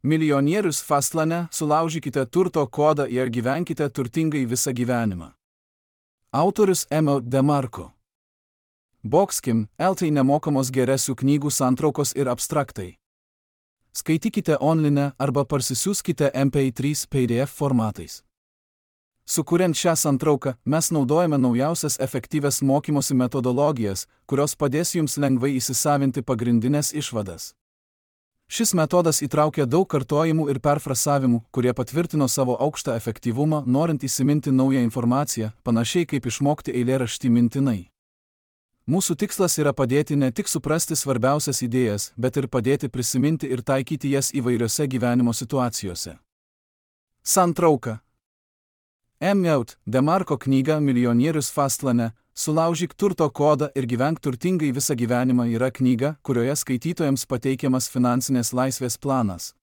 Milijonierius Fastlane, sulaužykite turto kodą ir gyvenkite turtingai visą gyvenimą. Autorius M. DeMarco. Boxkim, LT nemokamos geresių knygų santraukos ir abstraktai. Skaitykite online arba parsisiųskite MP3 PDF formatais. Sukuriant šią santrauką, mes naudojame naujausias efektyvias mokymosi metodologijas, kurios padės jums lengvai įsisavinti pagrindinės išvadas. Šis metodas įtraukia daug kartojimų ir perfrasavimų, kurie patvirtino savo aukštą efektyvumą, norint įsiminti naują informaciją, panašiai kaip išmokti eilėraštį mintinai. Mūsų tikslas yra padėti ne tik suprasti svarbiausias idėjas, bet ir padėti prisiminti ir taikyti jas įvairiose gyvenimo situacijose. Santrauka. M. DeMarco knyga Milijonierius Fastlane, sulaužyk turto kodą ir gyvenk turtingai visą gyvenimą yra knyga, kurioje skaitytojams pateikiamas finansinės laisvės planas.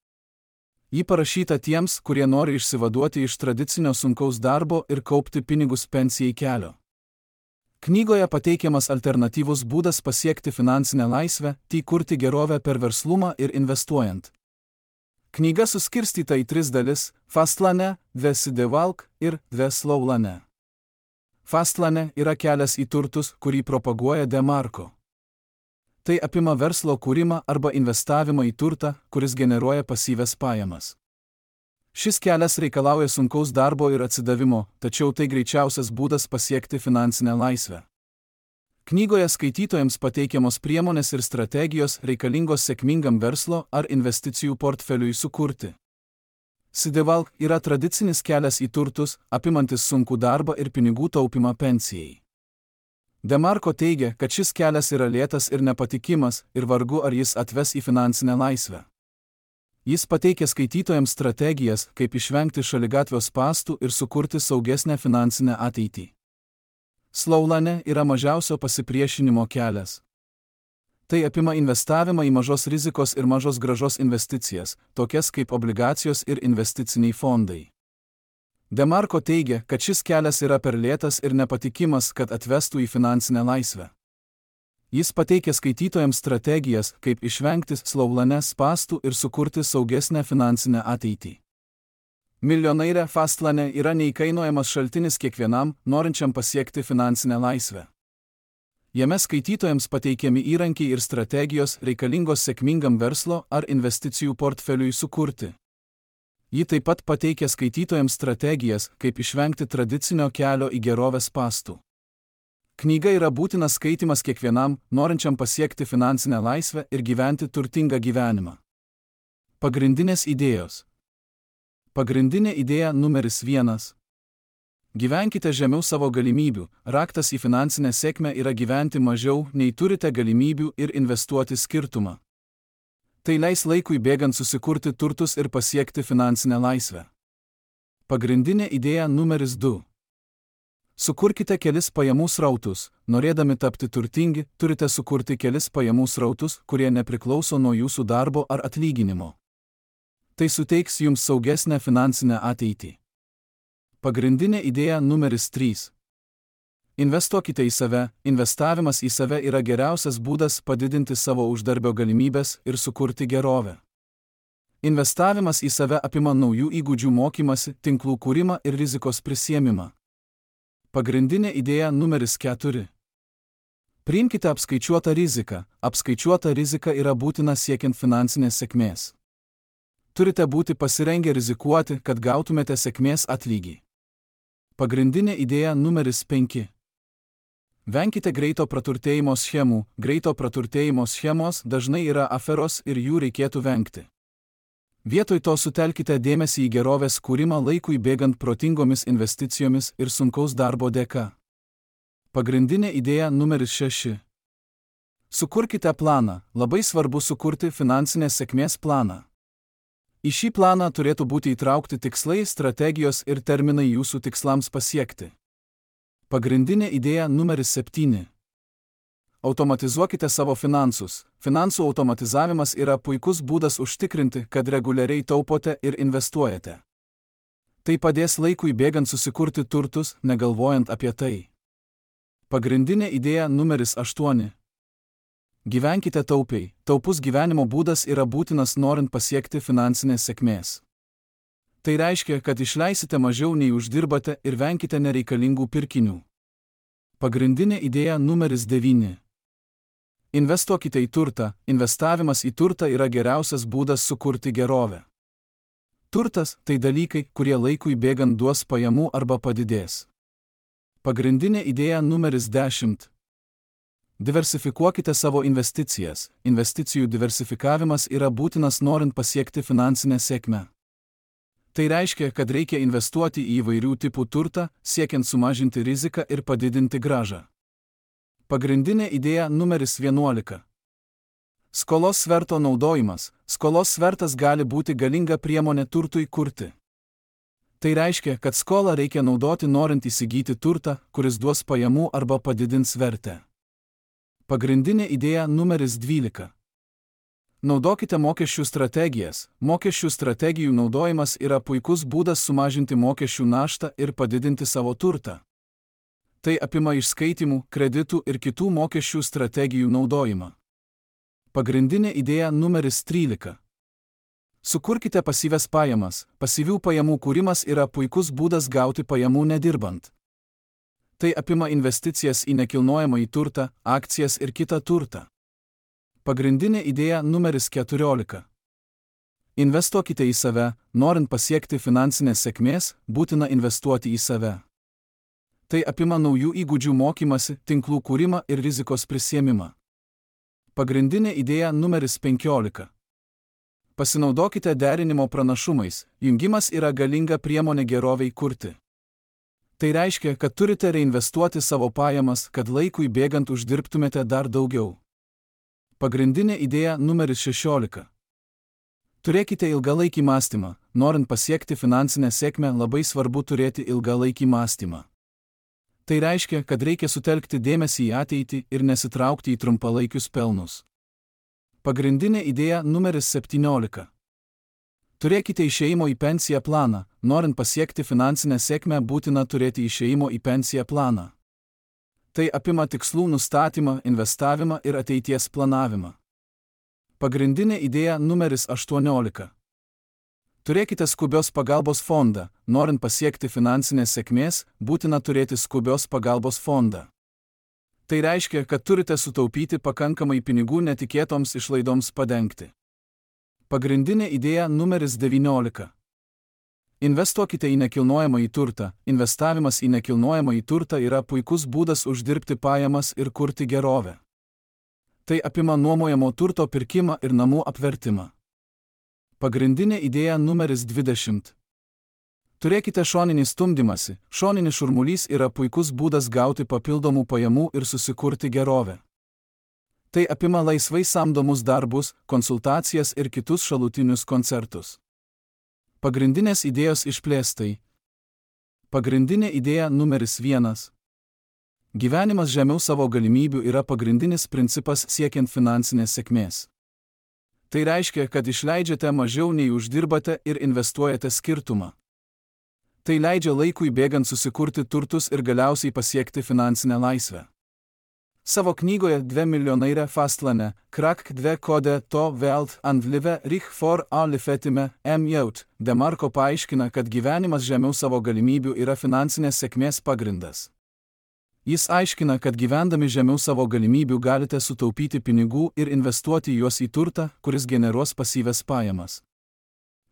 Ji parašyta tiems, kurie nori išsivaduoti iš tradicinio sunkaus darbo ir kaupti pinigus pensijai kelio. Knygoje pateikiamas alternatyvus būdas pasiekti finansinę laisvę, kurti gerovę per verslumą ir investuojant. Knyga suskirstyta į 3 dalis – Fastlane, The Steady Walk ir The Slow Lane. Fastlane yra kelias į turtus, kurį propaguoja DeMarco. Tai apima verslo kūrimą arba investavimą į turtą, kuris generuoja pasyvias pajamas. Šis kelias reikalauja sunkaus darbo ir atsidavimo, tačiau tai greičiausias būdas pasiekti finansinę laisvę. Knygoje skaitytojams pateikiamos priemonės ir strategijos reikalingos sėkmingam verslo ar investicijų portfeliui sukurti. Steady Walk yra tradicinis kelias į turtus, apimantis sunkų darbą ir pinigų taupimą pensijai. DeMarco teigia, kad šis kelias yra lėtas ir nepatikimas, ir vargu ar jis atves į finansinę laisvę. Jis pateikia skaitytojams strategijas, kaip išvengti šaligatvio spąstų ir sukurti saugesnę finansinę ateitį. Slow Lane yra mažiausio pasipriešinimo kelias. Tai apima investavimą į mažos rizikos ir mažos grąžos investicijas, tokias kaip obligacijos ir investiciniai fondai. DeMarco teigia, kad šis kelias yra per lėtas ir nepatikimas, kad atvestų į finansinę laisvę. Jis pateikia skaitytojams strategijas, kaip išvengti Slow Lane spąstų ir sukurti saugesnę finansinę ateitį. Milijonairė Fastlane yra neįkainojamas šaltinis kiekvienam, norinčiam pasiekti finansinę laisvę. Jame skaitytojams pateikiami įrankiai ir strategijos reikalingos sėkmingam verslo ar investicijų portfeliui sukurti. Ji taip pat pateikia skaitytojams strategijas, kaip išvengti tradicinio kelio į gerovės spąstų. Knyga yra būtinas skaitymas kiekvienam, norinčiam pasiekti finansinę laisvę ir gyventi turtingą gyvenimą. Pagrindinės idėjos. Pagrindinė idėja numeris 1. Gyvenkite žemiau savo galimybių. Raktas į finansinę sėkmę yra gyventi mažiau, nei turite galimybių ir investuoti skirtumą. Tai leis laikui bėgant susikurti turtus ir pasiekti finansinę laisvę. Pagrindinė idėja numeris 2. Sukurkite kelis pajamų srautus. Norėdami tapti turtingi, turite sukurti kelis pajamų srautus, kurie nepriklauso nuo jūsų darbo ar atlyginimo. Tai suteiks jums saugesnę finansinę ateitį. Pagrindinė idėja numeris 3. Investuokite į save. Investavimas į save yra geriausias būdas padidinti savo uždarbio galimybės ir sukurti gerovę. Investavimas į save apima naujų įgūdžių mokymasi, tinklų kūrimą ir rizikos prisiėmimą. Pagrindinė idėja numeris 4. Priimkite apskaičiuotą riziką. Apskaičiuota rizika yra būtina siekiant finansinės sėkmės. Turite būti pasirengę rizikuoti, kad gautumėte sėkmės atlygį. Pagrindinė idėja numeris 5. Venkite greito praturtėjimo schemų. Greito praturtėjimo schemos dažnai yra aferos ir jų reikėtų vengti. Vietoj to sutelkite dėmesį į gerovės kūrimą laikui bėgant protingomis investicijomis ir sunkaus darbo dėka. Pagrindinė idėja numeris 6. Sukurkite planą. Labai svarbu sukurti finansinės sėkmės planą. Į šį planą turėtų būti įtraukti tikslai, strategijos ir terminai jūsų tikslams pasiekti. Pagrindinė idėja numeris 7. Automatizuokite savo finansus. Finansų automatizavimas yra puikus būdas užtikrinti, kad reguliariai taupote ir investuojate. Tai padės laikui bėgant susikurti turtus, negalvojant apie tai. Pagrindinė idėja numeris 8. Gyvenkite taupiai. Taupus gyvenimo būdas yra būtinas norint pasiekti finansinės sėkmės. Tai reiškia, kad išleisite mažiau nei uždirbate ir venkite nereikalingų pirkinių. Pagrindinė idėja numeris 9. Investuokite į turtą. Investavimas į turtą yra geriausias būdas sukurti gerovę. Turtas – tai dalykai, kurie laikui bėgant duos pajamų arba padidės. Pagrindinė idėja numeris 10. Diversifikuokite savo investicijas. Investicijų diversifikavimas yra būtinas norint pasiekti finansinę sėkmę. Tai reiškia, kad reikia investuoti į įvairių tipų turtą, siekiant sumažinti riziką ir padidinti grąžą. Pagrindinė idėja numeris 11. Skolos sverto naudojimas. Skolos svertas gali būti galinga priemonė turtui kurti. Tai reiškia, kad skolą reikia naudoti norint įsigyti turtą, kuris duos pajamų arba padidins vertę. Pagrindinė idėja numeris 12. Naudokite mokesčių strategijas. Mokesčių strategijų naudojimas yra puikus būdas sumažinti mokesčių naštą ir padidinti savo turtą. Tai apima išskaitimų, kreditų ir kitų mokesčių strategijų naudojimą. Pagrindinė idėja numeris 13. Sukurkite pasyvias pajamas. Pasyvių pajamų kūrimas yra puikus būdas gauti pajamų nedirbant. Tai apima investicijas į nekilnojamąjį turtą, akcijas ir kitą turtą. Pagrindinė idėja numeris 14. Investuokite į save. Norint pasiekti finansinės sėkmės, būtina investuoti į save. Tai apima naujų įgūdžių mokymasi, tinklų kūrimą ir rizikos prisiėmimą. Pagrindinė idėja numeris 15. Pasinaudokite derinimo pranašumais. Jungimas yra galinga priemonė geroviai kurti. Tai reiškia, kad turite reinvestuoti savo pajamas, kad laikui bėgant uždirbtumėte dar daugiau. Pagrindinė idėja numeris 16. Turėkite ilgalaikį mąstymą. Norint pasiekti finansinę sėkmę, labai svarbu turėti ilgalaikį mąstymą. Tai reiškia, kad reikia sutelkti dėmesį į ateitį ir nesitraukti į trumpalaikius pelnus. Pagrindinė idėja numeris 17. Turėkite išėjimo į pensiją planą. Norint pasiekti finansinę sėkmę, būtina turėti išėjimo į pensiją planą. Tai apima tikslų nustatymą, investavimą ir ateities planavimą. Pagrindinė idėja numeris 18. Turėkite skubios pagalbos fondą. Norint pasiekti finansinės sėkmės, būtina turėti skubios pagalbos fondą. Tai reiškia, kad turite sutaupyti pakankamai pinigų netikėtoms išlaidoms padengti. Pagrindinė idėja numeris 19. Investuokite į nekilnojamąjį turtą. Investavimas į nekilnojamąjį turtą yra puikus būdas uždirbti pajamas ir kurti gerovę. Tai apima nuomojamo turto pirkimą ir namų apvertimą. Pagrindinė idėja numeris 20. Turėkite šoninį stumdymąsi. Šoninis šurmulys yra puikus būdas gauti papildomų pajamų ir susikurti gerovę. Tai apima laisvai samdomus darbus, konsultacijas ir kitus šalutinius koncertus. Pagrindinės idėjos išplėstai. Pagrindinė idėja numeris 1. Gyvenimas žemiau savo galimybių yra pagrindinis principas siekiant finansinės sėkmės. Tai reiškia, kad išleidžiate mažiau nei uždirbate ir investuojate skirtumą. Tai leidžia laikui bėgant susikurti turtus ir galiausiai pasiekti finansinę laisvę. Savo knygoje 2 miljonaire fastlane, krak 2 kode to veld and live rych for a lifetime jaut, DeMarco paaiškina, kad gyvenimas žemiau savo galimybių yra finansinės sėkmės pagrindas. Jis aiškina, kad gyvendami žemiau savo galimybių galite sutaupyti pinigų ir investuoti juos į turtą, kuris generuos pasyvias pajamas.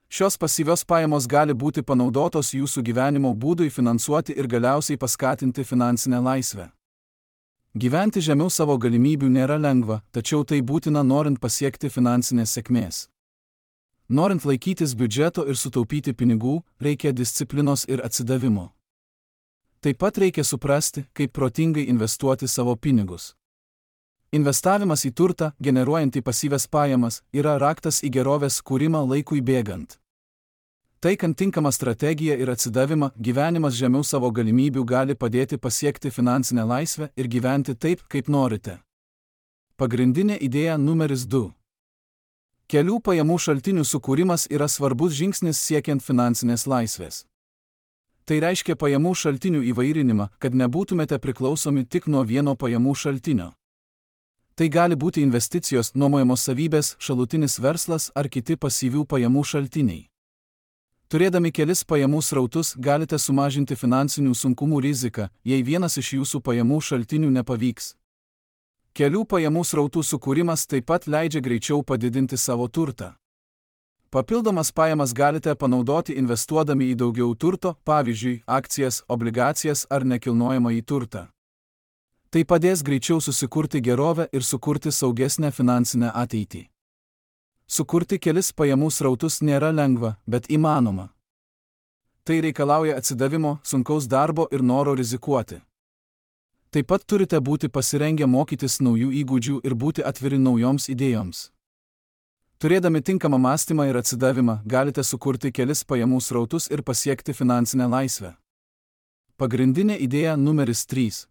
Šios pasyvios pajamos gali būti panaudotos jūsų gyvenimo būdui finansuoti ir galiausiai paskatinti finansinę laisvę. Gyventi žemiau savo galimybių nėra lengva, tačiau tai būtina norint pasiekti finansinės sėkmės. Norint laikytis biudžeto ir sutaupyti pinigų, reikia disciplinos ir atsidavimo. Taip pat reikia suprasti, kaip protingai investuoti savo pinigus. Investavimas į turtą, generuojantį pasyvias pajamas, yra raktas į gerovės kūrimą laikui bėgant. Taikant tinkamą strategiją ir atsidavimą, gyvenimas žemiau savo galimybių gali padėti pasiekti finansinę laisvę ir gyventi taip, kaip norite. Pagrindinė idėja numeris 2. Kelių pajamų šaltinių sukūrimas yra svarbus žingsnis siekiant finansinės laisvės. Tai reiškia pajamų šaltinių įvairinimą, kad nebūtumėte priklausomi tik nuo vieno pajamų šaltinio. Tai gali būti investicijos, nuomojamos savybės, šalutinis verslas ar kiti pasyvių pajamų šaltiniai. Turėdami kelis pajamų srautus galite sumažinti finansinių sunkumų riziką, jei vienas iš jūsų pajamų šaltinių nepavyks. Kelių pajamų srautų sukūrimas taip pat leidžia greičiau padidinti savo turtą. Papildomas pajamas galite panaudoti investuodami į daugiau turto, pavyzdžiui, akcijas, obligacijas ar nekilnojamąjį turtą. Tai padės greičiau susikurti gerovę ir sukurti saugesnę finansinę ateitį. Sukurti kelis pajamų srautus nėra lengva, bet įmanoma. Tai reikalauja atsidavimo, sunkaus darbo ir noro rizikuoti. Taip pat turite būti pasirengę mokytis naujų įgūdžių ir būti atviri naujoms idėjoms. Turėdami tinkamą mąstymą ir atsidavimą, galite sukurti kelis pajamų srautus ir pasiekti finansinę laisvę. Pagrindinė idėja numeris 3.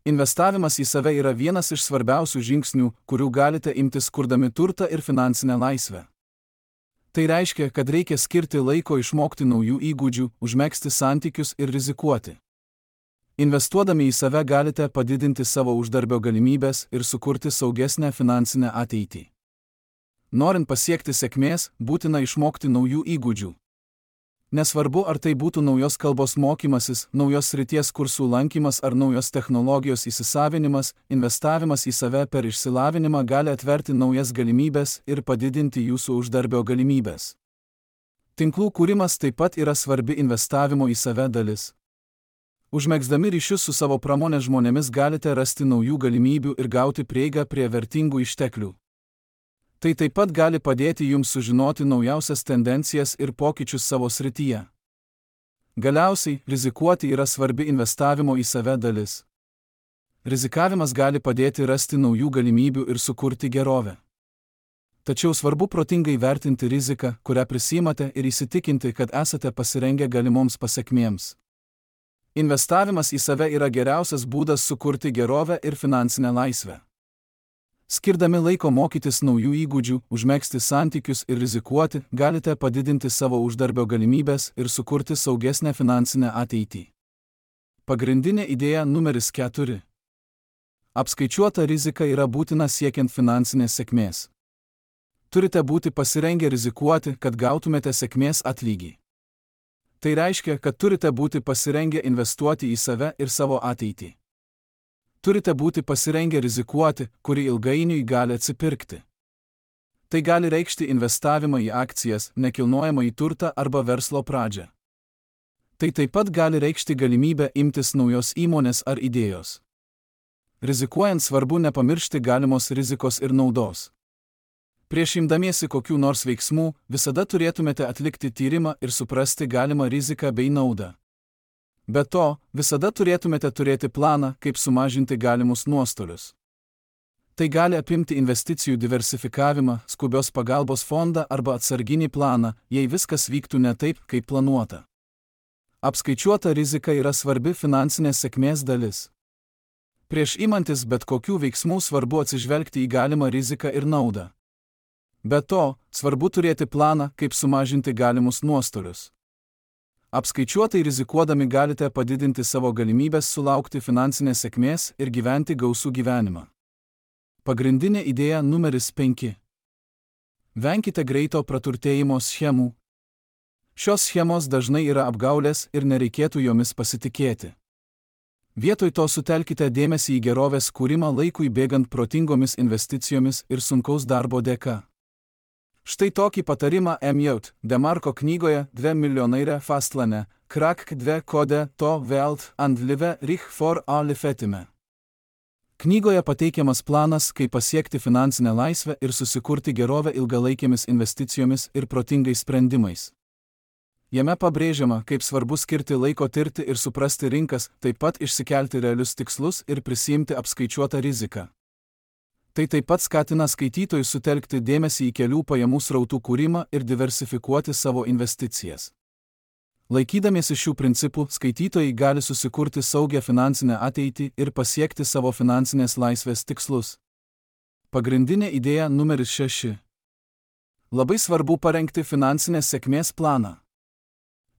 Investavimas į save yra vienas iš svarbiausių žingsnių, kurių galite imtis kurdami turtą ir finansinę laisvę. Tai reiškia, kad reikia skirti laiko išmokti naujų įgūdžių, užmegzti santykius ir rizikuoti. Investuodami į save galite padidinti savo uždarbio galimybės ir sukurti saugesnę finansinę ateitį. Norint pasiekti sėkmės, būtina išmokti naujų įgūdžių. Nesvarbu, ar tai būtų naujos kalbos mokymasis, naujos srities kursų lankymas ar naujos technologijos įsisavinimas, investavimas į save per išsilavinimą gali atverti naujas galimybės ir padidinti jūsų uždarbio galimybės. Tinklų kūrimas taip pat yra svarbi investavimo į save dalis. Užmegzdami ryšius su savo pramonės žmonėmis galite rasti naujų galimybių ir gauti prieigą prie vertingų išteklių. Tai taip pat gali padėti jums sužinoti naujausias tendencijas ir pokyčius savo srityje. Galiausiai, rizikuoti yra svarbi investavimo į save dalis. Rizikavimas gali padėti rasti naujų galimybių ir sukurti gerovę. Tačiau svarbu protingai vertinti riziką, kurią prisiimate ir įsitikinti, kad esate pasirengę galimoms pasekmėms. Investavimas į save yra geriausias būdas sukurti gerovę ir finansinę laisvę. Skirdami laiko mokytis naujų įgūdžių, užmegzti santykius ir rizikuoti, galite padidinti savo uždarbio galimybės ir sukurti saugesnę finansinę ateitį. Pagrindinė idėja numeris 4. Apskaičiuota rizika yra būtina siekiant finansinės sėkmės. Turite būti pasirengę rizikuoti, kad gautumėte sėkmės atlygį. Tai reiškia, kad turite būti pasirengę investuoti į save ir savo ateitį. Turite būti pasirengę rizikuoti, kuri ilgainiui gali atsipirkti. Tai gali reikšti investavimą į akcijas, nekilnojamąjį turtą arba verslo pradžią. Tai taip pat gali reikšti galimybę imtis naujos įmonės ar idėjos. Rizikuojant svarbu nepamiršti galimos rizikos ir naudos. Prieš imdamiesi kokių nors veiksmų, visada turėtumėte atlikti tyrimą ir suprasti galimą riziką bei naudą. Be to, visada turėtumėte turėti planą, kaip sumažinti galimus nuostolius. Tai gali apimti investicijų diversifikavimą, skubios pagalbos fondą arba atsarginį planą, jei viskas vyktų ne taip, kaip planuota. Apskaičiuota rizika yra svarbi finansinės sėkmės dalis. Prieš imantis bet kokių veiksmų svarbu atsižvelgti į galimą riziką ir naudą. Be to, svarbu turėti planą, kaip sumažinti galimus nuostolius. Apskaičiuotai rizikuodami galite padidinti savo galimybės sulaukti finansinės sėkmės ir gyventi gausų gyvenimą. Pagrindinė idėja numeris 5. Venkite greito praturtėjimo schemų. Šios schemos dažnai yra apgaulės ir nereikėtų jomis pasitikėti. Vietoj to sutelkite dėmesį į gerovės kūrimą laikui bėgant protingomis investicijomis ir sunkaus darbo dėka. Štai tokį patarimą Emil Demarko knygoje 2 miljonaire fastlane, krak 2 kode to Welt and live rich for alle fetime. Knygoje pateikiamas planas, kaip pasiekti finansinę laisvę ir susikurti gerovę ilgalaikėmis investicijomis ir protingais sprendimais. Jame pabrėžiama, kaip svarbu skirti laiko tirti ir suprasti rinkas, taip pat išsikelti realius tikslus ir prisiimti apskaičiuotą riziką. Tai taip pat skatina skaitytojus sutelkti dėmesį į kelių pajamų srautų kūrimą ir diversifikuoti savo investicijas. Laikydamiesi šių principų, skaitytojai gali susikurti saugią finansinę ateitį ir pasiekti savo finansinės laisvės tikslus. Pagrindinė idėja numeris 6. Labai svarbu parengti finansinės sėkmės planą.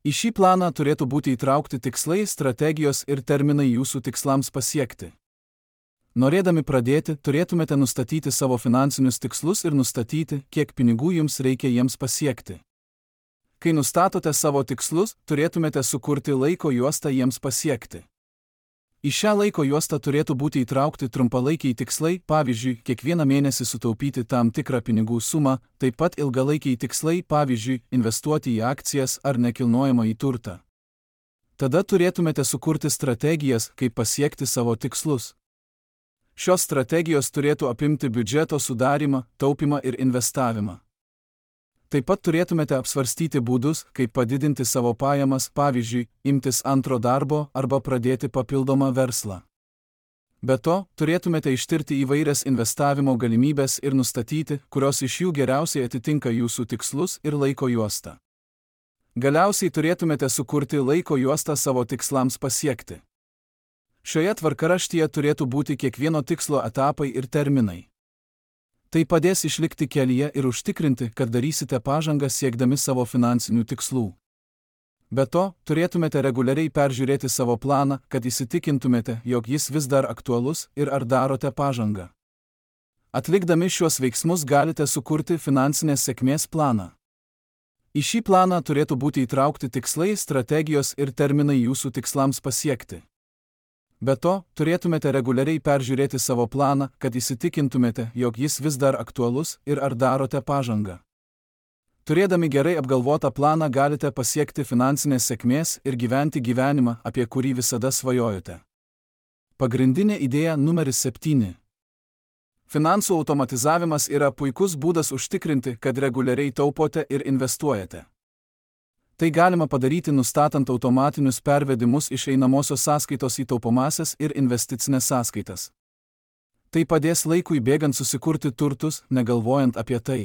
Į šį planą turėtų būti įtraukti tikslai, strategijos ir terminai jūsų tikslams pasiekti. Norėdami pradėti, turėtumėte nustatyti savo finansinius tikslus ir nustatyti, kiek pinigų jums reikia jiems pasiekti. Kai nustatote savo tikslus, turėtumėte sukurti laiko juostą jiems pasiekti. Į šią laiko juostą turėtų būti įtraukti trumpalaikiai tikslai, pavyzdžiui, kiekvieną mėnesį sutaupyti tam tikrą pinigų sumą, taip pat ilgalaikiai tikslai, pavyzdžiui, investuoti į akcijas ar nekilnojamąjį turtą. Tada turėtumėte sukurti strategijas, kaip pasiekti savo tikslus. Šios strategijos turėtų apimti biudžeto sudarymą, taupymą ir investavimą. Taip pat turėtumėte apsvarstyti būdus, kaip padidinti savo pajamas, pavyzdžiui, imtis antro darbo arba pradėti papildomą verslą. Be to, turėtumėte ištirti įvairias investavimo galimybės ir nustatyti, kurios iš jų geriausiai atitinka jūsų tikslus ir laiko juostą. Galiausiai turėtumėte sukurti laiko juostą savo tikslams pasiekti. Šioje tvarkaraštyje turėtų būti kiekvieno tikslo etapai ir terminai. Tai padės išlikti kelyje ir užtikrinti, kad darysite pažangą siekdami savo finansinių tikslų. Be to, turėtumėte reguliariai peržiūrėti savo planą, kad įsitikintumėte, jog jis vis dar aktualus ir ar darote pažangą. Atlikdami šiuos veiksmus galite sukurti finansinės sėkmės planą. Į šį planą turėtų būti įtraukti tikslai, strategijos ir terminai jūsų tikslams pasiekti. Be to, turėtumėte reguliariai peržiūrėti savo planą, kad įsitikintumėte, jog jis vis dar aktualus ir ar darote pažangą. Turėdami gerai apgalvotą planą galite pasiekti finansinės sėkmės ir gyventi gyvenimą, apie kurį visada svajojote. Pagrindinė idėja numeris 7. Finansų automatizavimas yra puikus būdas užtikrinti, kad reguliariai taupote ir investuojate. Tai galima padaryti nustatant automatinius pervedimus iš einamosios sąskaitos į taupomąsias ir investicinės sąskaitas. Tai padės laikui bėgant susikurti turtus, negalvojant apie tai.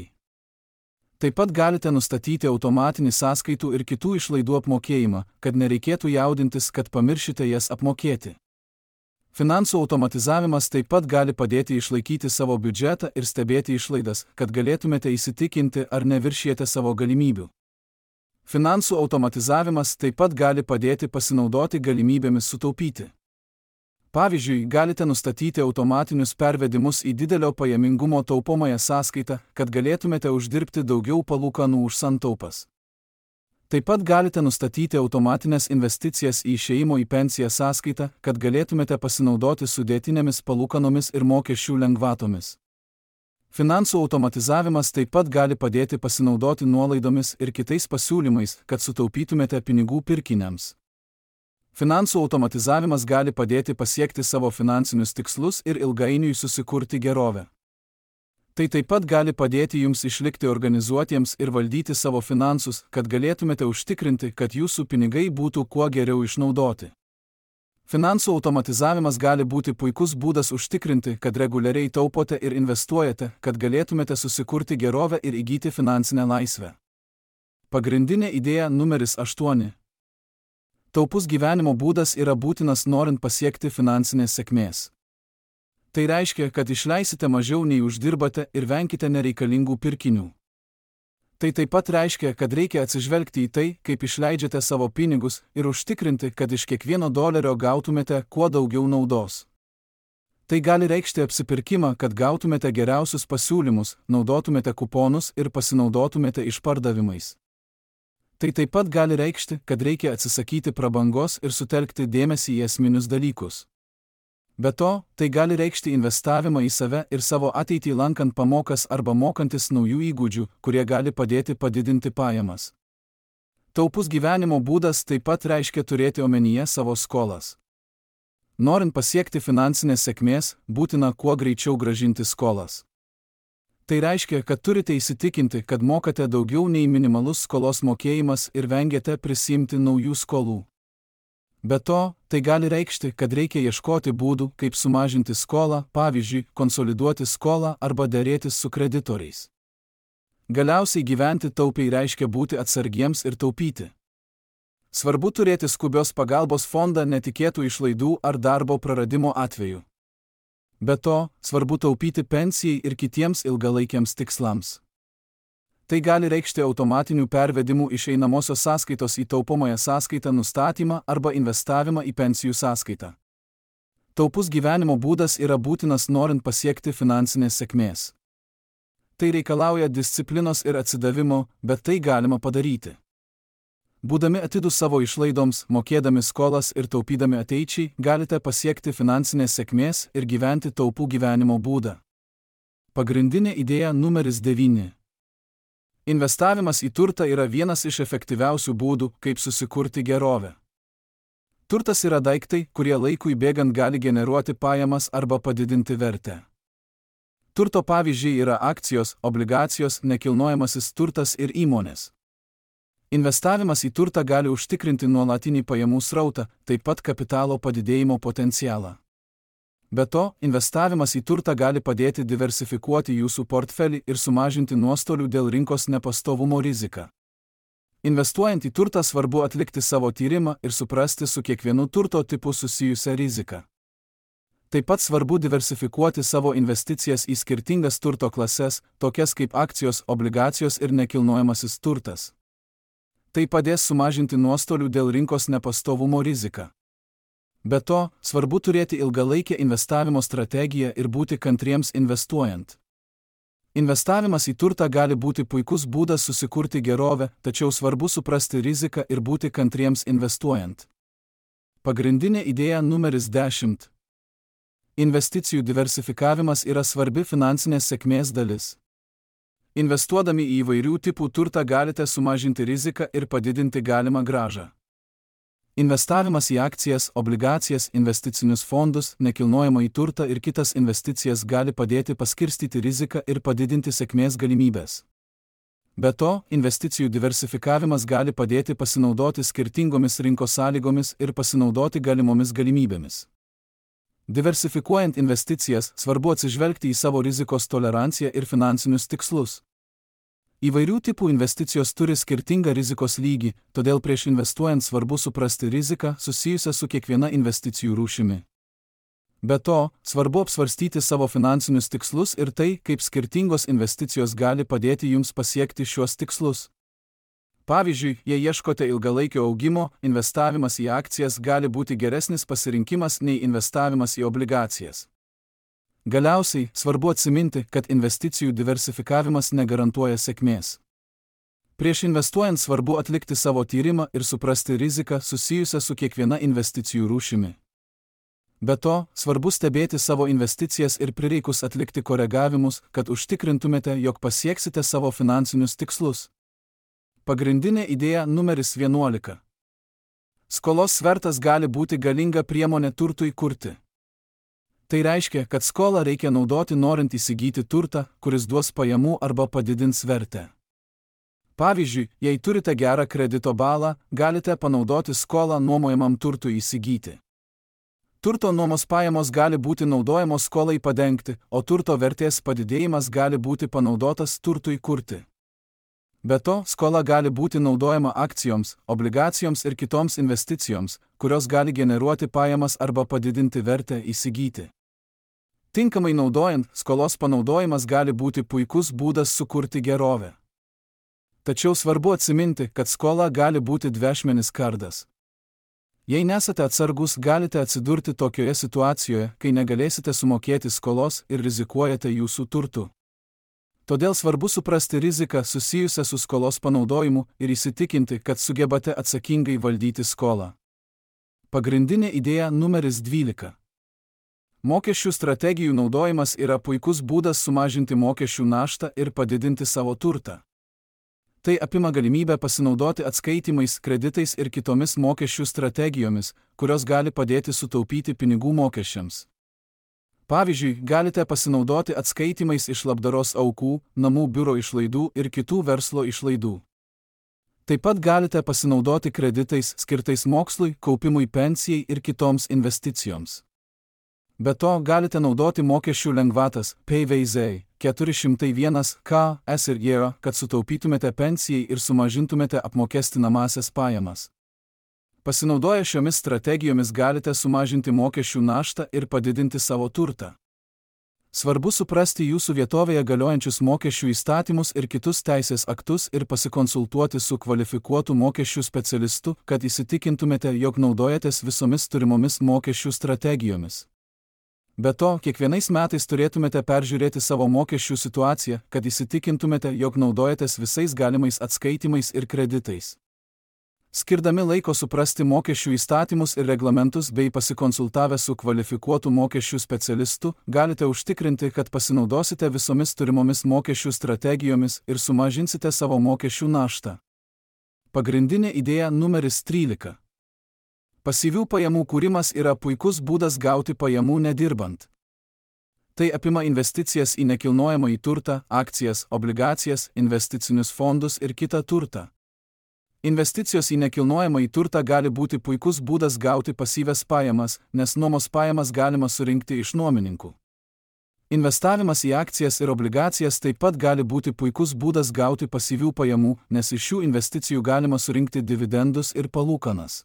Taip pat galite nustatyti automatinį sąskaitų ir kitų išlaidų apmokėjimą, kad nereikėtų jaudintis, kad pamiršite jas apmokėti. Finansų automatizavimas taip pat gali padėti išlaikyti savo biudžetą ir stebėti išlaidas, kad galėtumėte įsitikinti, ar neviršijate savo galimybių. Finansų automatizavimas taip pat gali padėti pasinaudoti galimybėmis sutaupyti. Pavyzdžiui, galite nustatyti automatinius pervedimus į didelio pajamingumo taupomąją sąskaitą, kad galėtumėte uždirbti daugiau palūkanų už santaupas. Taip pat galite nustatyti automatinės investicijas į išėjimo į pensiją sąskaitą, kad galėtumėte pasinaudoti sudėtinėmis palūkanomis ir mokesčių lengvatomis. Finansų automatizavimas taip pat gali padėti pasinaudoti nuolaidomis ir kitais pasiūlymais, kad sutaupytumėte pinigų pirkiniams. Finansų automatizavimas gali padėti pasiekti savo finansinius tikslus ir ilgainiui susikurti gerovę. Tai taip pat gali padėti jums išlikti organizuotiems ir valdyti savo finansus, kad galėtumėte užtikrinti, kad jūsų pinigai būtų kuo geriau išnaudoti. Finansų automatizavimas gali būti puikus būdas užtikrinti, kad reguliariai taupote ir investuojate, kad galėtumėte susikurti gerovę ir įgyti finansinę laisvę. Pagrindinė idėja numeris 8. Taupus gyvenimo būdas yra būtinas norint pasiekti finansinės sėkmės. Tai reiškia, kad išleisite mažiau nei uždirbate ir venkite nereikalingų pirkinių. Tai taip pat reiškia, kad reikia atsižvelgti į tai, kaip išleidžiate savo pinigus ir užtikrinti, kad iš kiekvieno dolerio gautumėte kuo daugiau naudos. Tai gali reikšti apsipirkimą, kad gautumėte geriausius pasiūlymus, naudotumėte kuponus ir pasinaudotumėte išpardavimais. Tai taip pat gali reikšti, kad reikia atsisakyti prabangos ir sutelkti dėmesį į esminius dalykus. Be to, tai gali reikšti investavimą į save ir savo ateitį lankant pamokas arba mokantis naujų įgūdžių, kurie gali padėti padidinti pajamas. Taupus gyvenimo būdas taip pat reiškia turėti omenyje savo skolas. Norint pasiekti finansinės sėkmės, būtina kuo greičiau grąžinti skolas. Tai reiškia, kad turite įsitikinti, kad mokate daugiau nei minimalus skolos mokėjimas ir vengiate prisiimti naujų skolų. Be to, tai gali reikšti, kad reikia ieškoti būdų, kaip sumažinti skolą, pavyzdžiui, konsoliduoti skolą arba dėrėtis su kreditoriais. Galiausiai gyventi taupiai reiškia būti atsargiems ir taupyti. Svarbu turėti skubios pagalbos fondą netikėtų išlaidų ar darbo praradimo atveju. Be to, svarbu taupyti pensijai ir kitiems ilgalaikiams tikslams. Tai gali reikšti automatinių pervedimų iš einamosios sąskaitos į taupomąją sąskaitą nustatymą arba investavimą į pensijų sąskaitą. Taupus gyvenimo būdas yra būtinas norint pasiekti finansinės sėkmės. Tai reikalauja disciplinos ir atsidavimo, bet tai galima padaryti. Būdami atidūs savo išlaidoms, mokėdami skolas ir taupydami ateičiai, galite pasiekti finansinės sėkmės ir gyventi taupų gyvenimo būdą. Pagrindinė idėja numeris 9. Investavimas į turtą yra vienas iš efektyviausių būdų, kaip susikurti gerovę. Turtas yra daiktai, kurie laikui bėgant gali generuoti pajamas arba padidinti vertę. Turto pavyzdžiai yra akcijos, obligacijos, nekilnojamasis turtas ir įmonės. Investavimas į turtą gali užtikrinti nuolatinį pajamų srautą, taip pat kapitalo padidėjimo potencialą. Be to, investavimas į turtą gali padėti diversifikuoti jūsų portfelį ir sumažinti nuostolių dėl rinkos nepastovumo riziką. Investuojant į turtą svarbu atlikti savo tyrimą ir suprasti su kiekvienu turto tipu susijusią riziką. Taip pat svarbu diversifikuoti savo investicijas į skirtingas turto klases, tokias kaip akcijos, obligacijos ir nekilnojamasis turtas. Tai padės sumažinti nuostolių dėl rinkos nepastovumo riziką. Be to, svarbu turėti ilgalaikę investavimo strategiją ir būti kantriems investuojant. Investavimas į turtą gali būti puikus būdas susikurti gerovę, tačiau svarbu suprasti riziką ir būti kantriems investuojant. Pagrindinė idėja numeris 10. Investicijų diversifikavimas yra svarbi finansinės sėkmės dalis. Investuodami į įvairių tipų turtą galite sumažinti riziką ir padidinti galimą grąžą. Investavimas į akcijas, obligacijas, investicinius fondus, nekilnojamąjį turtą ir kitas investicijas gali padėti paskirstyti riziką ir padidinti sėkmės galimybės. Be to, investicijų diversifikavimas gali padėti pasinaudoti skirtingomis rinkos sąlygomis ir pasinaudoti galimomis galimybėmis. Diversifikuojant investicijas, svarbu atsižvelgti į savo rizikos toleranciją ir finansinius tikslus. Įvairių tipų investicijos turi skirtingą rizikos lygį, todėl prieš investuojant svarbu suprasti riziką susijusią su kiekviena investicijų rūšimi. Be to, svarbu apsvarstyti savo finansinius tikslus ir tai, kaip skirtingos investicijos gali padėti jums pasiekti šiuos tikslus. Pavyzdžiui, jei ieškote ilgalaikio augimo, investavimas į akcijas gali būti geresnis pasirinkimas nei investavimas į obligacijas. Galiausiai, svarbu atsiminti, kad investicijų diversifikavimas negarantuoja sėkmės. Prieš investuojant svarbu atlikti savo tyrimą ir suprasti riziką susijusią su kiekviena investicijų rūšimi. Be to, svarbu stebėti savo investicijas ir prireikus atlikti koregavimus, kad užtikrintumėte, jog pasieksite savo finansinius tikslus. Pagrindinė idėja numeris 11. Skolos svertas gali būti galinga priemonė turtui kurti. Tai reiškia, kad skolą reikia naudoti norint įsigyti turtą, kuris duos pajamų arba padidins vertę. Pavyzdžiui, jei turite gerą kredito balą, galite panaudoti skolą nuomojamam turtui įsigyti. Turto nuomos pajamos gali būti naudojamos skolai padengti, o turto vertės padidėjimas gali būti panaudotas turtui kurti. Be to, skola gali būti naudojama akcijoms, obligacijoms ir kitoms investicijoms, kurios gali generuoti pajamas arba padidinti vertę įsigyti. Tinkamai naudojant, skolos panaudojimas gali būti puikus būdas sukurti gerovę. Tačiau svarbu atsiminti, kad skola gali būti dviašmenis kardas. Jei nesate atsargus, galite atsidurti tokioje situacijoje, kai negalėsite sumokėti skolos ir rizikuojate jūsų turtu. Todėl svarbu suprasti riziką susijusią su skolos panaudojimu ir įsitikinti, kad sugebate atsakingai valdyti skolą. Pagrindinė idėja numeris 12. Mokesčių strategijų naudojimas yra puikus būdas sumažinti mokesčių naštą ir padidinti savo turtą. Tai apima galimybę pasinaudoti atskaitimais, kreditais ir kitomis mokesčių strategijomis, kurios gali padėti sutaupyti pinigų mokesčiams. Pavyzdžiui, galite pasinaudoti atskaitimais iš labdaros aukų, namų biuro išlaidų ir kitų verslo išlaidų. Taip pat galite pasinaudoti kreditais skirtais mokslui, kaupimui pensijai ir kitoms investicijoms. Be to, galite naudoti mokesčių lengvatas PVZ 401 KS ir JR, kad sutaupytumėte pensijai ir sumažintumėte apmokestinamąsias pajamas. Pasinaudoję šiomis strategijomis galite sumažinti mokesčių naštą ir padidinti savo turtą. Svarbu suprasti jūsų vietovėje galiojančius mokesčių įstatymus ir kitus teisės aktus ir pasikonsultuoti su kvalifikuotu mokesčių specialistu, kad įsitikintumėte, jog naudojatės visomis turimomis mokesčių strategijomis. Be to, kiekvienais metais turėtumėte peržiūrėti savo mokesčių situaciją, kad įsitikintumėte, jog naudojatės visais galimais atskaitimais ir kreditais. Skirdami laiko suprasti mokesčių įstatymus ir reglamentus bei pasikonsultavę su kvalifikuotu mokesčių specialistu, galite užtikrinti, kad pasinaudosite visomis turimomis mokesčių strategijomis ir sumažinsite savo mokesčių naštą. Pagrindinė idėja numeris 13. Pasyvių pajamų kūrimas yra puikus būdas gauti pajamų nedirbant. Tai apima investicijas į nekilnojamąjį turtą, akcijas, obligacijas, investicinius fondus ir kitą turtą. Investicijos į nekilnojamąjį turtą gali būti puikus būdas gauti pasyvias pajamas, nes nuomos pajamas galima surinkti iš nuomininkų. Investavimas į akcijas ir obligacijas taip pat gali būti puikus būdas gauti pasyvių pajamų, nes iš šių investicijų galima surinkti dividendus ir palūkanas.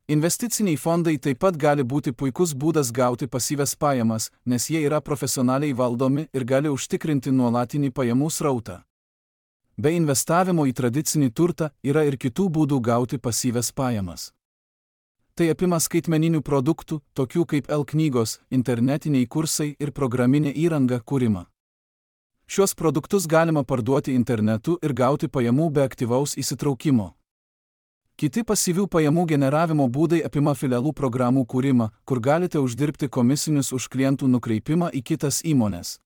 Investiciniai fondai taip pat gali būti puikus būdas gauti pasyvias pajamas, nes jie yra profesionaliai valdomi ir gali užtikrinti nuolatinį pajamų srautą. Be investavimo į tradicinį turtą yra ir kitų būdų gauti pasyvias pajamas. Tai apima skaitmeninių produktų, tokių kaip e-knygos, internetiniai kursai ir programinė įranga kūrimą. Šios produktus galima parduoti internetu ir gauti pajamų be aktyvaus įsitraukimo. Kiti pasyvių pajamų generavimo būdai apima filialų programų kūrimą, kur galite uždirbti komisinius už klientų nukreipimą į kitas įmones.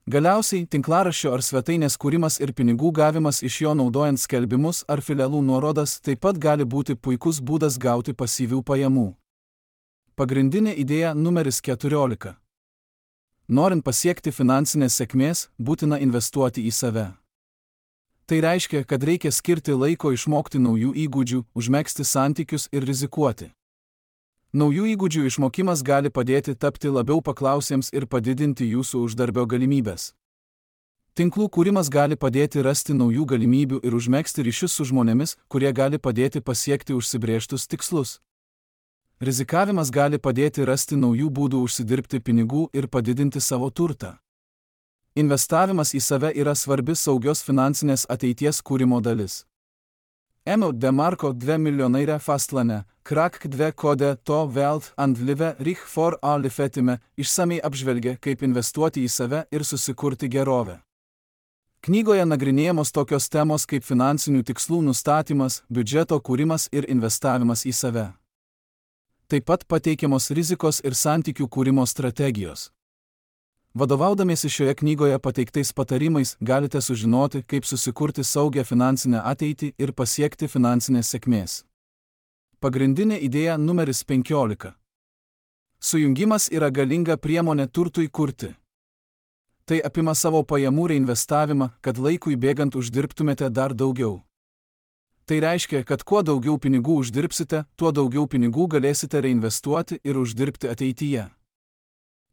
Galiausiai, tinklaraščio ar svetainės kūrimas ir pinigų gavimas iš jo naudojant skelbimus ar filialų nuorodas taip pat gali būti puikus būdas gauti pasyvių pajamų. Pagrindinė idėja numeris 14. Norint pasiekti finansinės sėkmės, būtina investuoti į save. Tai reiškia, kad reikia skirti laiko išmokti naujų įgūdžių, užmegzti santykius ir rizikuoti. Naujų įgūdžių išmokimas gali padėti tapti labiau paklausiems ir padidinti jūsų uždarbio galimybės. Tinklų kūrimas gali padėti rasti naujų galimybių ir užmegzti ryšius su žmonėmis, kurie gali padėti pasiekti užsibrėžtus tikslus. Rizikavimas gali padėti rasti naujų būdų užsidirbti pinigų ir padidinti savo turtą. Investavimas į save yra svarbi saugios finansinės ateities kūrimo dalis. Emil DeMarco 2 miljonaire fastlane, krak 2 kode to Welt and live rych for alle fetime, išsamei apžvelgia, kaip investuoti į save ir susikurti gerovę. Knygoje nagrinėjamos tokios temos kaip finansinių tikslų nustatymas, biudžeto kūrimas ir investavimas į save. Taip pat pateikiamos rizikos ir santykių kūrimo strategijos. Vadovaudamiesi šioje knygoje pateiktais patarimais galite sužinoti, kaip susikurti saugią finansinę ateitį ir pasiekti finansinės sėkmės. Pagrindinė idėja numeris 15. Sujungimas yra galinga priemonė turtui kurti. Tai apima savo pajamų reinvestavimą, kad laikui bėgant uždirbtumėte dar daugiau. Tai reiškia, kad kuo daugiau pinigų uždirbsite, tuo daugiau pinigų galėsite reinvestuoti ir uždirbti ateityje.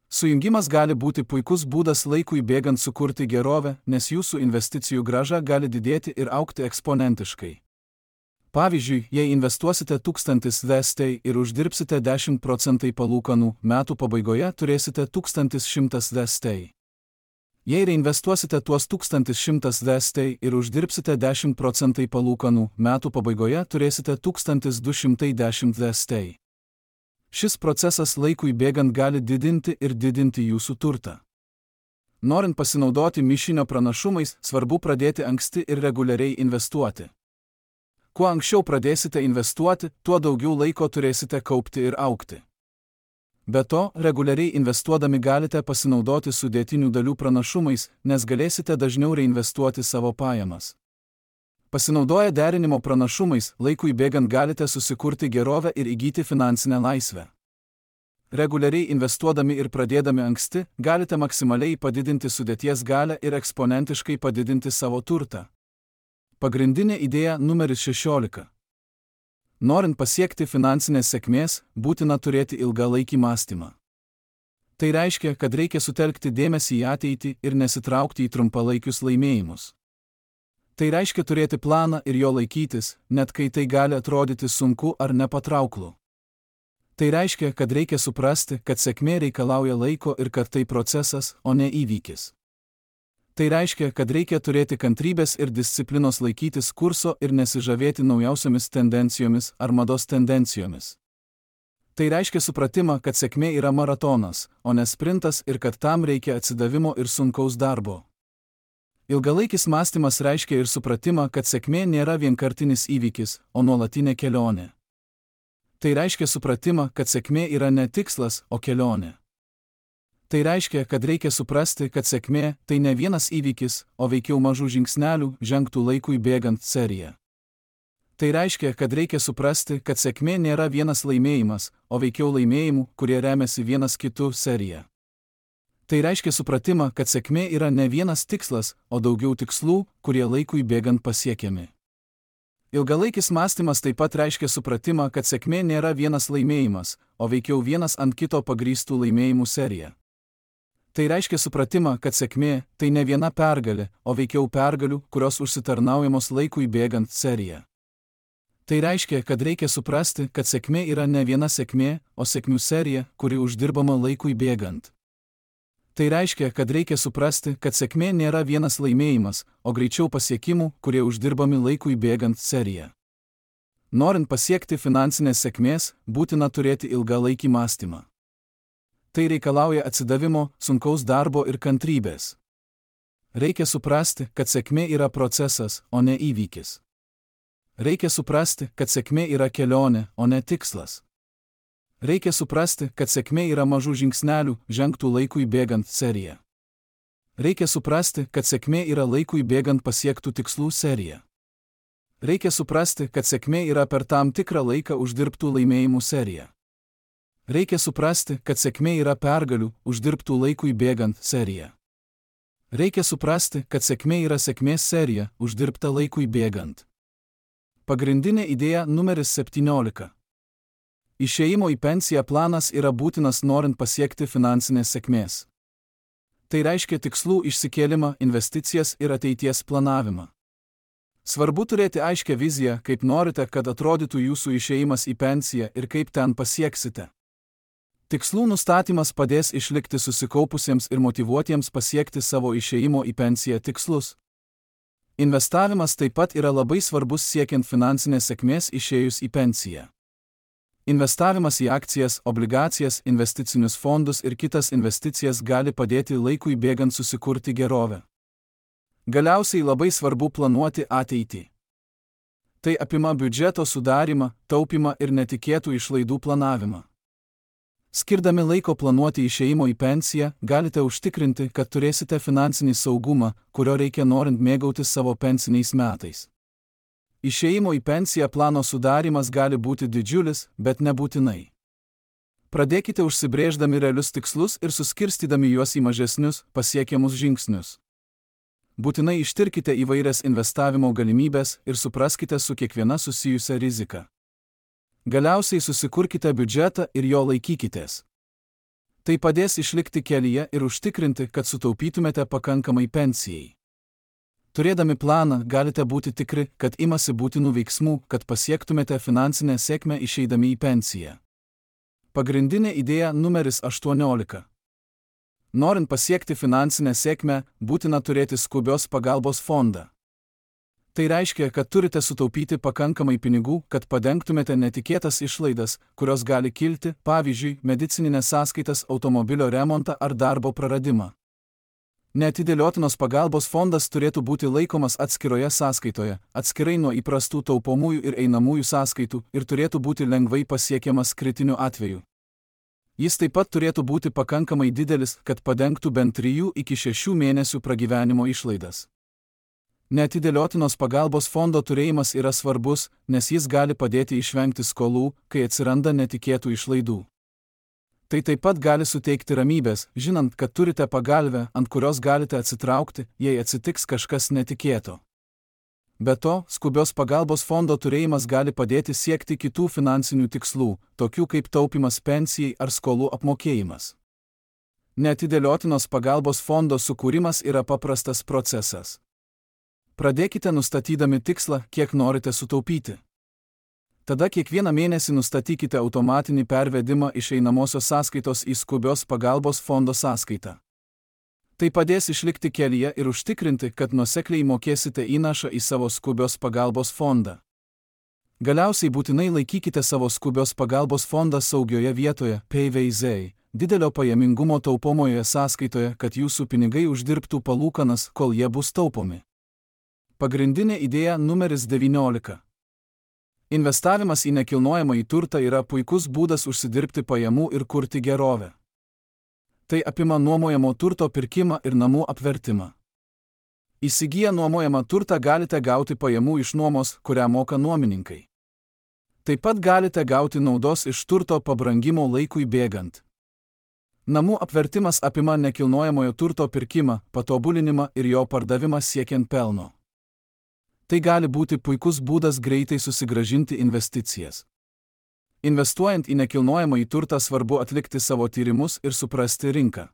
Sujungimas gali būti puikus būdas laikui bėgant sukurti gerovę, nes jūsų investicijų grąža gali didėti ir augti eksponentiškai. Pavyzdžiui, jei investuosite 1000 USD ir uždirbsite 10% palūkanų, metų pabaigoje turėsite 1100 USD. Jei reinvestuosite tuos 1100 USD ir uždirbsite 10% palūkanų, metų pabaigoje turėsite 1210 USD. Šis procesas laikui bėgant gali didinti ir didinti jūsų turtą. Norint pasinaudoti mišinio pranašumais, svarbu pradėti anksti ir reguliariai investuoti. Kuo anksčiau pradėsite investuoti, tuo daugiau laiko turėsite kaupti ir augti. Be to, reguliariai investuodami galite pasinaudoti sudėtinių dalių pranašumais, nes galėsite dažniau reinvestuoti savo pajamas. Pasinaudoję derinimo pranašumais, laikui bėgant galite susikurti gerovę ir įgyti finansinę laisvę. Reguliariai investuodami ir pradėdami anksti, galite maksimaliai padidinti sudėties galią ir eksponentiškai padidinti savo turtą. Pagrindinė idėja numeris 16. Norint pasiekti finansinės sėkmės, būtina turėti ilgalaikį mąstymą. Tai reiškia, kad reikia sutelkti dėmesį į ateitį ir nesitraukti į trumpalaikius laimėjimus. Tai reiškia turėti planą ir jo laikytis, net kai tai gali atrodyti sunku ar nepatrauklu. Tai reiškia, kad reikia suprasti, kad sėkmė reikalauja laiko ir kad tai procesas, o ne įvykis. Tai reiškia, kad reikia turėti kantrybės ir disciplinos laikytis kurso ir nesižavėti naujausiomis tendencijomis ar mados tendencijomis. Tai reiškia supratimą, kad sėkmė yra maratonas, o ne sprintas ir kad tam reikia atsidavimo ir sunkaus darbo. Ilgalaikis mąstymas reiškia ir supratimą, kad sėkmė nėra vienkartinis įvykis, o nuolatinė kelionė. Tai reiškia supratimą, kad sėkmė yra ne tikslas, o kelionė. Tai reiškia, kad reikia suprasti, kad sėkmė tai ne vienas įvykis, o veikiau mažų žingsnelių žengtų laikui bėgant serija. Tai reiškia, kad reikia suprasti, kad sėkmė nėra vienas laimėjimas, o veikiau laimėjimų, kurie remiasi vienas kitu serija. Tai reiškia supratimą, kad sėkmė yra ne vienas tikslas, o daugiau tikslų, kurie laikui bėgant pasiekiami. Ilgalaikis mąstymas taip pat reiškia supratimą, kad sėkmė nėra vienas laimėjimas, o veikiau vienas ant kito pagrįstų laimėjimų serija. Tai reiškia supratimą, kad sėkmė tai ne viena pergalė, o veikiau pergalių, kurios užsitarnaujamos laikui bėgant serija. Tai reiškia, kad reikia suprasti, kad sėkmė yra ne viena sėkmė, o sėkmių serija, kuri uždirbama laikui bėgant. Tai reiškia, kad reikia suprasti, kad sėkmė nėra vienas laimėjimas, o greičiau pasiekimų, kurie uždirbami laikui bėgant serija. Norint pasiekti finansinės sėkmės, būtina turėti ilgalaikį mąstymą. Tai reikalauja atsidavimo, sunkaus darbo ir kantrybės. Reikia suprasti, kad sėkmė yra procesas, o ne įvykis. Reikia suprasti, kad sėkmė yra kelionė, o ne tikslas. Reikia suprasti, kad sėkmė yra mažų žingsnelių žengtų laikui bėgant serija. Reikia suprasti, kad sėkmė yra laikui bėgant pasiektų tikslų serija. Reikia suprasti, kad sėkmė yra per tam tikrą laiką uždirbtų laimėjimų serija. Reikia suprasti, kad sėkmė yra pergalių uždirbtų laikui bėgant serija. Reikia suprasti, kad sėkmė yra sėkmės serija uždirbta laikui bėgant. Pagrindinė idėja numeris 17. Išėjimo į pensiją planas yra būtinas norint pasiekti finansinės sėkmės. Tai reiškia tikslų išsikėlimą, investicijas ir ateities planavimą. Svarbu turėti aiškią viziją, kaip norite, kad atrodytų jūsų išėjimas į pensiją ir kaip ten pasieksite. Tikslų nustatymas padės išlikti susikaupusiems ir motyvuotiems pasiekti savo išėjimo į pensiją tikslus. Investavimas taip pat yra labai svarbus siekiant finansinės sėkmės išėjus į pensiją. Investavimas į akcijas, obligacijas, investicinius fondus ir kitas investicijas gali padėti laikui bėgant susikurti gerovę. Galiausiai labai svarbu planuoti ateitį. Tai apima biudžeto sudarymą, taupymą ir netikėtų išlaidų planavimą. Skirdami laiko planuoti išėjimo į pensiją, galite užtikrinti, kad turėsite finansinį saugumą, kurio reikia norint mėgautis savo pensiniais metais. Išėjimo į pensiją plano sudarimas gali būti didžiulis, bet nebūtinai. Pradėkite užsibrėždami realius tikslus ir suskirstydami juos į mažesnius, pasiekiamus žingsnius. Būtinai ištirkite įvairias investavimo galimybės ir supraskite su kiekviena susijusią riziką. Galiausiai susikurkite biudžetą ir jo laikykitės. Tai padės išlikti kelyje ir užtikrinti, kad sutaupytumėte pakankamai pensijai. Turėdami planą, galite būti tikri, kad imasi būtinų veiksmų, kad pasiektumėte finansinę sėkmę išeidami į pensiją. Pagrindinė idėja numeris 18. Norint pasiekti finansinę sėkmę, būtina turėti skubios pagalbos fondą. Tai reiškia, kad turite sutaupyti pakankamai pinigų, kad padengtumėte netikėtas išlaidas, kurios gali kilti, pavyzdžiui, medicininės sąskaitas, automobilio remontą ar darbo praradimą. Neatidėliotinos pagalbos fondas turėtų būti laikomas atskiroje sąskaitoje, atskirai nuo įprastų taupomųjų ir einamųjų sąskaitų ir turėtų būti lengvai pasiekiamas kritiniu atveju. Jis taip pat turėtų būti pakankamai didelis, kad padengtų bent 3 iki 6 mėnesių pragyvenimo išlaidas. Neatidėliotinos pagalbos fondo turėjimas yra svarbus, nes jis gali padėti išvengti skolų, kai atsiranda netikėtų išlaidų. Tai taip pat gali suteikti ramybės, žinant, kad turite pagalvę, ant kurios galite atsitraukti, jei atsitiks kažkas netikėto. Be to, skubios pagalbos fondo turėjimas gali padėti siekti kitų finansinių tikslų, tokių kaip taupimas pensijai ar skolų apmokėjimas. Neatidėliotinos pagalbos fondo sukūrimas yra paprastas procesas. Pradėkite nustatydami tikslą, kiek norite sutaupyti. Tada kiekvieną mėnesį nustatykite automatinį pervedimą iš einamosios sąskaitos į skubios pagalbos fondo sąskaitą. Tai padės išlikti kelyje ir užtikrinti, kad nuosekliai mokėsite įnašą į savo skubios pagalbos fondą. Galiausiai būtinai laikykite savo skubios pagalbos fondą saugioje vietoje, PVZ, didelio pajamingumo taupomoje sąskaitoje, kad jūsų pinigai uždirbtų palūkanas, kol jie bus taupomi. Pagrindinė idėja numeris 19. Investavimas į nekilnojamąjį turtą yra puikus būdas užsidirbti pajamų ir kurti gerovę. Tai apima nuomojamo turto pirkimą ir namų apvertimą. Įsigiję nuomojamą turtą galite gauti pajamų iš nuomos, kurią moka nuomininkai. Taip pat galite gauti naudos iš turto pabrangimo laikui bėgant. Namų apvertimas apima nekilnojamojo turto pirkimą, patobulinimą ir jo pardavimą siekiant pelno. Tai gali būti puikus būdas greitai susigrąžinti investicijas. Investuojant į nekilnojamąjį turtą svarbu atlikti savo tyrimus ir suprasti rinką.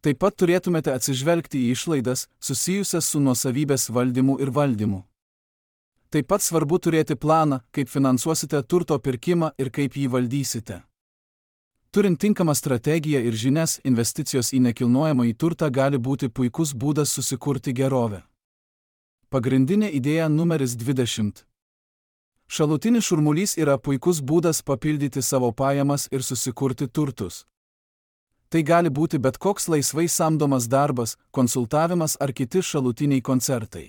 Taip pat turėtumėte atsižvelgti į išlaidas, susijusias su nuosavybės valdymu ir valdymu. Taip pat svarbu turėti planą, kaip finansuosite turto pirkimą ir kaip jį valdysite. Turint tinkamą strategiją ir žinias, investicijos į nekilnojamąjį turtą gali būti puikus būdas susikurti gerovę. Pagrindinė idėja numeris 20. Šalutinis šurmulys yra puikus būdas papildyti savo pajamas ir susikurti turtus. Tai gali būti bet koks laisvai samdomas darbas, konsultavimas ar kiti šalutiniai koncertai.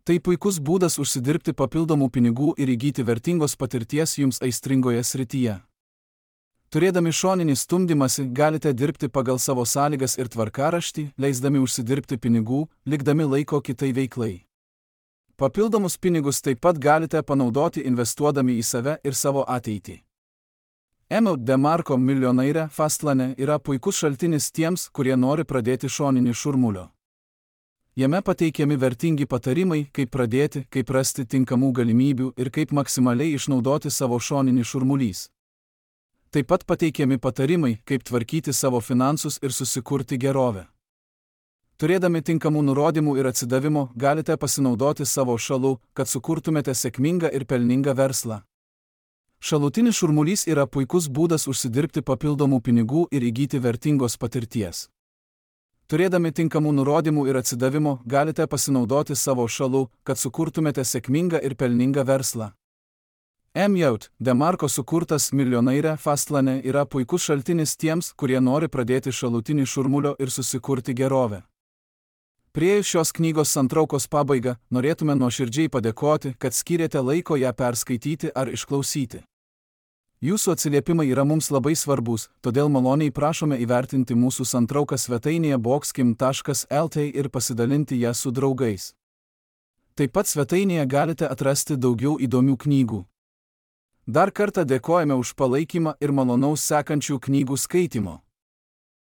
Tai puikus būdas užsidirbti papildomų pinigų ir įgyti vertingos patirties jums aistringoje srityje. Turėdami šoninį stumdymąsi, galite dirbti pagal savo sąlygas ir tvarkaraštį, leisdami užsidirbti pinigų, likdami laiko kitai veiklai. Papildomus pinigus taip pat galite panaudoti investuodami į save ir savo ateitį. Emaut DeMarco Milionaire Fastlane yra puikus šaltinis tiems, kurie nori pradėti šoninį šurmulio. Jame pateikiami vertingi patarimai, kaip pradėti, kaip rasti tinkamų galimybių ir kaip maksimaliai išnaudoti savo šoninį šurmulys. Taip pat pateikiami patarimai, kaip tvarkyti savo finansus ir susikurti gerovę. Turėdami tinkamų nurodymų ir atsidavimo, galite pasinaudoti savo šalu, kad sukurtumėte sėkmingą ir pelningą verslą. Šalutinis šurmulys yra puikus būdas užsidirbti papildomų pinigų ir įgyti vertingos patirties. Turėdami tinkamų nurodymų ir atsidavimo, galite pasinaudoti savo šalu, kad sukurtumėte sėkmingą ir pelningą verslą. Emaut DeMarco sukurtas Milionaire Fastlane yra puikus šaltinis tiems, kurie nori pradėti šalutinį šurmulio ir susikurti gerovę. Priėjus šios knygos santraukos pabaigą, norėtume nuoširdžiai padėkoti, kad skyrėte laiko ją perskaityti ar išklausyti. Jūsų atsiliepimai yra mums labai svarbus, todėl maloniai prašome įvertinti mūsų santrauką svetainėje boxkim.lt ir pasidalinti ją su draugais. Taip pat svetainėje galite atrasti daugiau įdomių knygų. Dar kartą dėkojame už palaikymą ir malonaus sekančių knygų skaitimo.